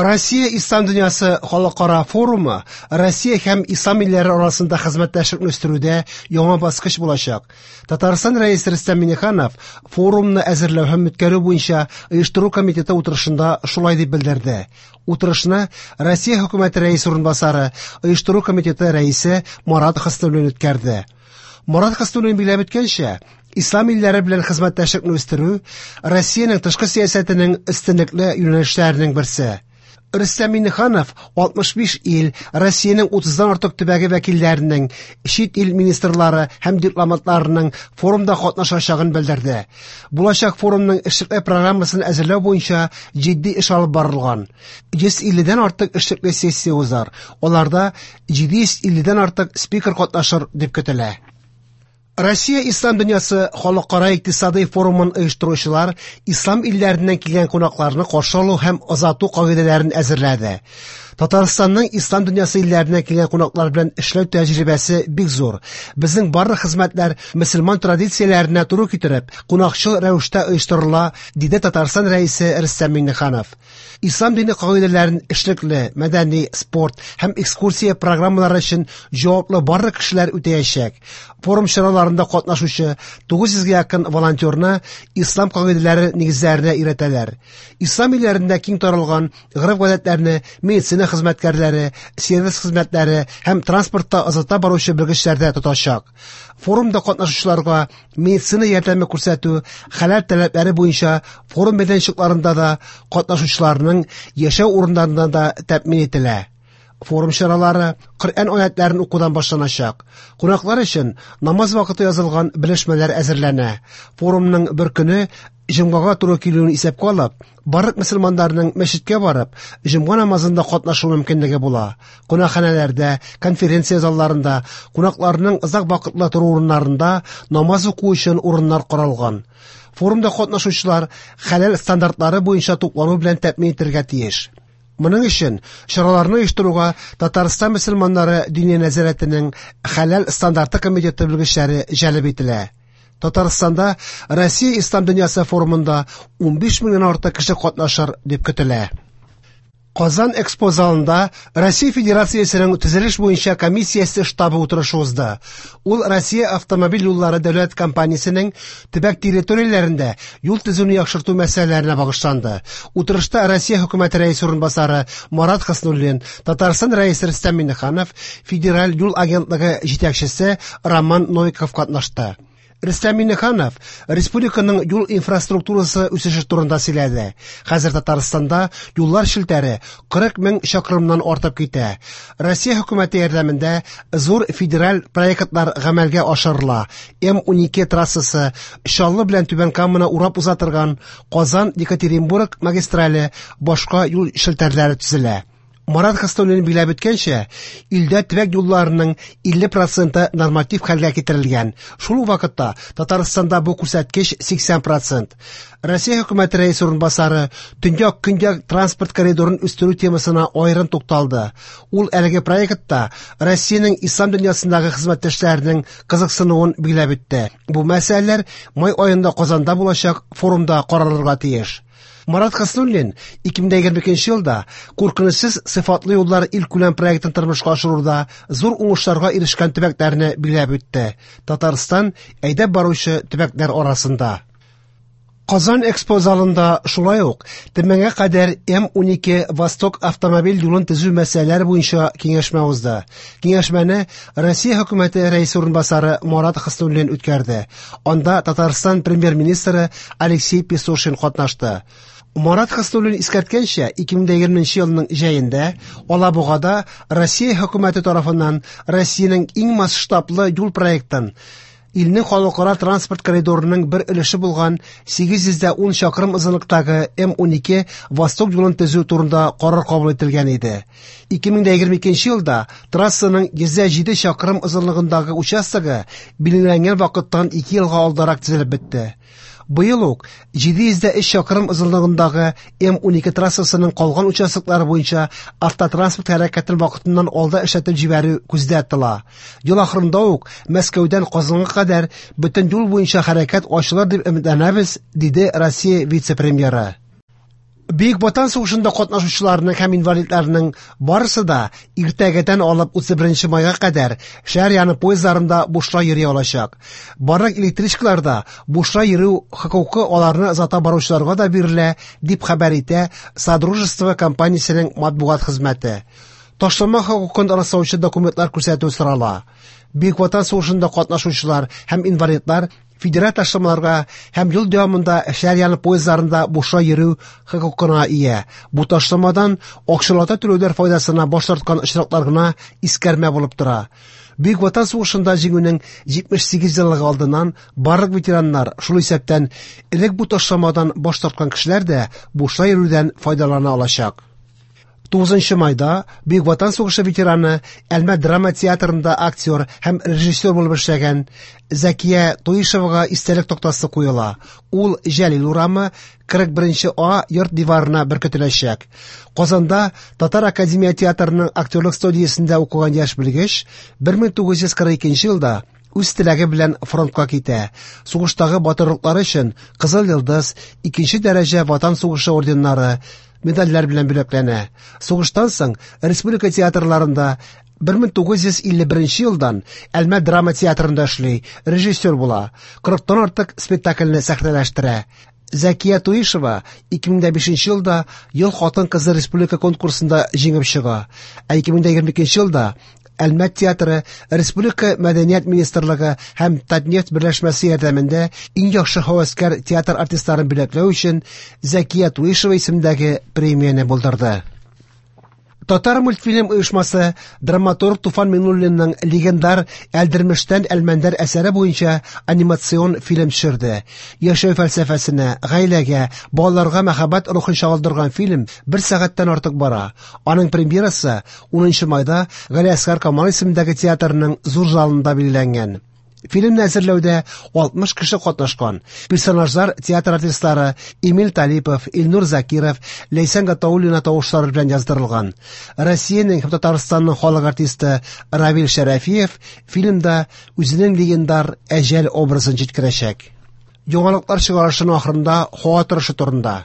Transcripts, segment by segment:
Россия Ислам дөньясы халыкара форумы Россия һәм ислам илләре арасында хезмәттәшлекне үстерүдә яңа баскыч булачак. Татарстан Рәисе Рөстәм Миңнеханов форумны әзерләү һәм үткәрү буенча оештыру комитеты утырышында шулай дип белдерде. Утырышны Россия хөкүмәте рәисе урынбасары, оештыру комитеты рәисе Марат Хөснуллин үткәрде. Марат Хөснуллин билгеләп үткәнчә, ислам илләре белән хезмәттәшлекне үстерү Россиянең тышкы сәясәтенең өстенлекле юнәлешләренең берсе. Рөстәм Миңнеханов 65 ил, Россиянең 30-дан артык төбәге вәкилләренең, чит ил министрлары һәм дипломатларының форумда катнашачагын белдерде. Булачак форумның эшлекле программасын әзерләү буенча җитди эш алып барылган. 150-дән артык эшлекле сессия узар. Аларда 750-дән артык спикер катнашыр дип көтелә. Россия Ислам дөньясы халыкара икътисадый форумын оештыручылар ислам илләреннән килгән кунакларны каршы алу һәм озату кагыйдәләрен әзерләде. Татарстанның ислам дөньясы илләреннән килгән кунаклар белән эшләү тәҗрибәсе бик зур. Безнең барлык хезмәтләр мөселман традицияләренә туры китереп, кунакчыл рәвештә оештырыла, диде Татарстан Рәисе Рөстәм Миңнеханов. Ислам дине кагыйдәләрен эшлекле, мәдәни, спорт һәм экскурсия программалары өчен җаваплы барлык кешеләр үтәячәк. Форум чараларында катнашучы 900 гә якын волонтерны ислам кагыйдәләре нигезләренә өйрәтәләр. Ислам илләрендә киң таралган гореф-гадәтләрне медицина хезмәткәрләре, сервис хезмәтләре һәм транспортта озата баручы белгечләр дә тотачак. Форумда катнашучыларга медицина ярдәме күрсәтү хәләл таләпләре буенча форум мәйданчыкларында да, катнашучыларның яшәү урыннарында да тәэмин ителә. Форум чаралары Коръән аятларын укудан башланачак. Кунаклар өчен намаз вакыты язылган белешмәләр әзерләнә. Форумның бер көне җомгага туры килүен исәпкә алып, барлык мөселманнарның мәчеткә барып, җомга намазында катнашу мөмкинлеге була. Кунакханәләрдә, конференция залларында, кунакларның озак вакытлы тору урыннарында намаз уку өчен урыннар каралган. Форумда катнашучылар хәләл стандартлары буенча туклану белән тәэмин ителергә тиеш. Моның өчен чараларны оештыруга Татарстан мөселманнары Диния нәзарәтенең хәләл стандарты комитеты белгечләре җәлеп ителә. Татарстанда Россия Ислам дөньясы форумында 15 меңнән артык кеше катнашыр дип көтелә. Казан Экспо залында Россия Федерациясенең төзелеш буенча комиссиясе штабы утырышы узды. Ул Россия автомобиль юллары дәүләт компаниясенең төбәк территорияләрендә юл төзүне яхшырту мәсьәләләренә багышланды. Утырышта Россия хөкүмәте рәисе урынбасары Марат Хөснуллин, Татарстан рәисе Рөстәм Миңнеханов, Федераль юл агентлыгы җитәкчесе Роман Новиков катнашты. Рөстәм Миңнеханов республиканың юл инфраструктурасы үсеше турында сөйләде. Хәзер Татарстанда юллар челтәре 40 мең чакрымнан артып китә. Россия хөкүмәте ярдәмендә зур федераль проектлар гамәлгә ашырыла. М12 трассасы, Чаллы белән Түбән Каманы урап уза торган Казан-Екатеринбург магистрале, башка юл челтәрләре төзелә. Марат Хөснуллин билгеләп үткәнчә, илдә төбәк юлларының 50 проценты норматив хәлгә китерелгән. Шул ук вакытта Татарстанда бу күрсәткеч 80 процент. Россия хөкүмәте рәисе урынбасары Төньяк-Көньяк транспорт коридорын үстерү темасына аерым тукталды. Ул әлеге проектта Россиянең ислам дөньясындагы хезмәттәшләренең кызыксынуын билгеләп үтте. Бу мәсьәләләр май аенда Казанда булачак форумда каралырга тиеш. Марат Хөснуллин 2022 елда куркынычсыз сыйфатлы юллар илкүләм проектын тормышка ашыруда зур уңышларга ирешкән төбәкләрне билгеләп үтте. Татарстан әйдәп баручы төбәкләр арасында. Казан Экспо залында шулай ук Төмәнгә кадәр М12 Восток автомобиль юлын төзү мәсьәләләре буенча киңәшмә узды. Киңәшмәне Россия хөкүмәте рәисе урынбасары Марат Хөснуллин үткәрде. Анда Татарстан премьер-министры Алексей Песошин катнашты. Марат Хөснуллин искәрткәнчә, 2020 елның җәендә Алабугада Россия хөкүмәте тарафыннан Россиянең иң масштаблы юл проектын илнең халыкара транспорт коридорының бер өлеше булган 810 чакрым озынлыктагы М12 Восток юлын төзү турында карар кабул ителгән иде. 2022 елда трассаның 107 чакрым озынлыгындагы участогы билгеләнгән вакыттан 2 елга алдарак төзелеп бетте. Быел ук 703 чакрым озынлыгындагы М12 трассасының калган участоклары буенча автотранспорт хәрәкәтен вакытыннан алда эшләтеп җибәрү күздә тотыла. Ел ахырында ук Мәскәүдән Казанга кадәр бөтен юл буенча хәрәкәт ачылыр дип өметләнәбез, диде Россия вице-премьеры. Бөек Ватан сугышында катнашучыларның һәм инвалидларның барысы да иртәгәдән алып 31 майга кадәр шәһәр яны поездларында бушлай йөри алачак. Барлык электричкаларда бушлай йөрү хокукы аларны озата баручыларга да бирелә, дип хәбәр итә Содружество компаниясенең матбугат хезмәте. Ташлама хокукын раслаучы документлар күрсәтү сорала. Бөек Ватан сугышында катнашучылар һәм инвалидлар федераль ташламаларга һәм ел дәвамында шәһәр яны поездларында бушлай йөрү хокукына ия. Бу ташламадан акчалата түләүләр файдасына баш тарткан очраклар гына искәрмә булып тора. Бөек Ватан сугышында җиңүнең 78 еллыгы алдыннан барлык ветераннар, шул исәптән элек бу ташламадан баш тарткан кешеләр дә бушлай йөрүдән файдалана алачак. 9 майда Бөек Ватан сугышы ветераны, Әлмәт драма театрында актер һәм режиссер булып эшләгән Зәкия Туишевага истәлек тактасы куела. Ул Җәлил урамы 41 А йорт диварына беркетеләчәк. Казанда Татар академия театрының актерлык студиясендә укыган яшь белгеч 1942 елда үз теләге белән фронтка китә. Сугыштагы батырлыклары өчен Кызыл Йолдыз, икенче дәрәҗә Ватан сугышы орденнары, медальләр белән бүләкләнә. Сугыштан соң республика театрларында 1951 елдан Әлмәт драма театрында эшли, режиссер була. 40-тан артык спектакльне сәхнәләштерә. Зәкия Туишева 2005 елда Ел хатын-кызы республика конкурсында җиңеп чыга. Ә 2022 елда Әлмәт театры Республика Мәдәният министрлыгы һәм Татнефть берләшмәсе ярдәмендә иң яхшы һәвәскәр театр артистларын бүләкләү өчен Зәкия Туишева исемендәге премияне булдырды. Татар мультфильм оешмасы драматург Туфан Миңнуллинның легендар Әлдермештән Әлмәндәр әсәре буенча анимацион фильм төшерде. Яшәү фәлсәфәсенә, гаиләгә, балаларга мәхәббәт рухын чагылдырган фильм бер сәгатьтән артык бара. Аның премьерасы 10 майда Галиәсгар Камал исемендәге театрның зур залында билгеләнгән. Фильмны әзерләүдә 60 кеше катнашкан. Персонажлар театр артистлары Эмиль Талипов, Илнур Закиров, Ләйсән Гатауллина тавышлары белән яздырылган. Россиянең һәм Татарстанның халык артисты Равил Шәрәфиев фильмда үзенең легендар Әҗәл образын җиткерәчәк. Яңалыклар чыгарышының ахырында һава торышы турында.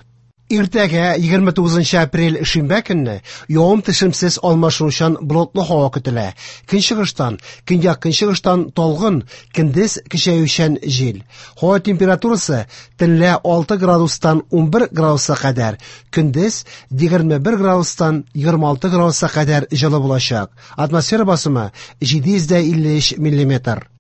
Иртәгә 29 апрель шимбә көнне явым-төшемсез алмашынучан болытлы һава көтелә. Көнчыгыштан, көньяк-көнчыгыштан талгын, көндез көчәючән җил. Һава температурасы төнлә 6 градустан 11 градуска кадәр, көндез 21 градустан 26 градуска кадәр җылы булачак. Атмосфера басымы 753 миллиметр.